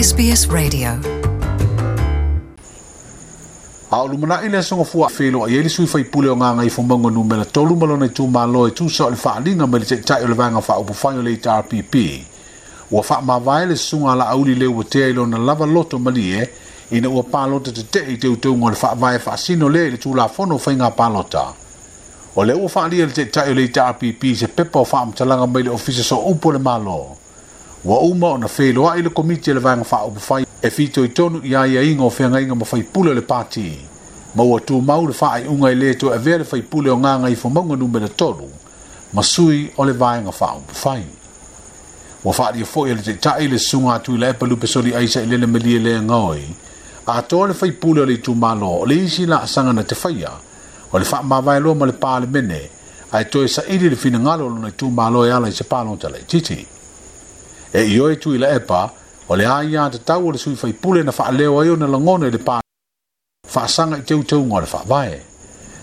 SBS Radio. A o lumanai le aso Gafua feiloai ai le sui faipule o Gagaifomauga Numera 3 ma lona itumalo e tusa o le faaaliga mai le Taitai o le Vaega Faaupufai o le HRPP. Ua faamavae le Susuga a Laauli Leuatea i lona lava loto malie ina ua palota tetee i teuteuga o le Faavae faasino lea i le Tulafono o Faiga Palota. O lea ua faaalia e le Taitai o le HRPP se pepa o faamatalaga mai le Ofisa Sooupu o le Malo. Ua uma ona feiloai le Komiti a le Vaega Faaupufai e fitoitonu i aiaiga o feagaiga ma faipule o le Pati, ma ua tumau le faaiuga e le toe avea le faipule o Gagaifomauga Numera 3 ma sui o le Vaega Faaupufai. Ua faaalia foi e le Taitai le Susuga a Tuilaepa Lupesoli Aisa i Lele Malie Leagaoi, atoa le faipule o le itumalo o le isi laasaga na te faia o le faamavae loa ma le Palemene ae toe saili le finagalo o lona itumalo e ala i se palota laitiiti. E ioe Tuilaepa, o le aiatatau o le sui faipule na faaleo ai ona lagona i le faasaga i teuteuga o le Faavae.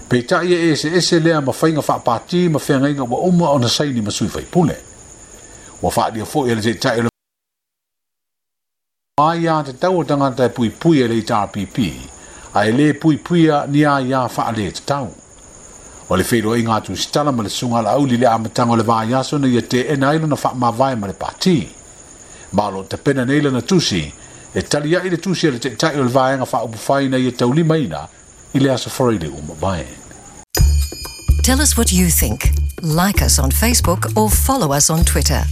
Peitai e eseese lea ma faiga faapati ma feagaiga ua uma ona saini ma sui faipule. Ua faaalia foi e le Taitai o le aiatatau o tagata e puipui e le HRPP, ae le puipuia ni aia faaletatau. O le feiloaiga a Tusitala ma le Susuga a Laauli i le amataga o le vaiaso ina ia teena ai lona faamavae ma le pati. Ma o lo o tapena nei lana tusi e tali ai le tusi a le Taitai o le Vaega Faaupufai ina ia taulimaina i le aso Faraile ua mavae. Tell us what you think. Like us on Facebook or follow us on Twitter.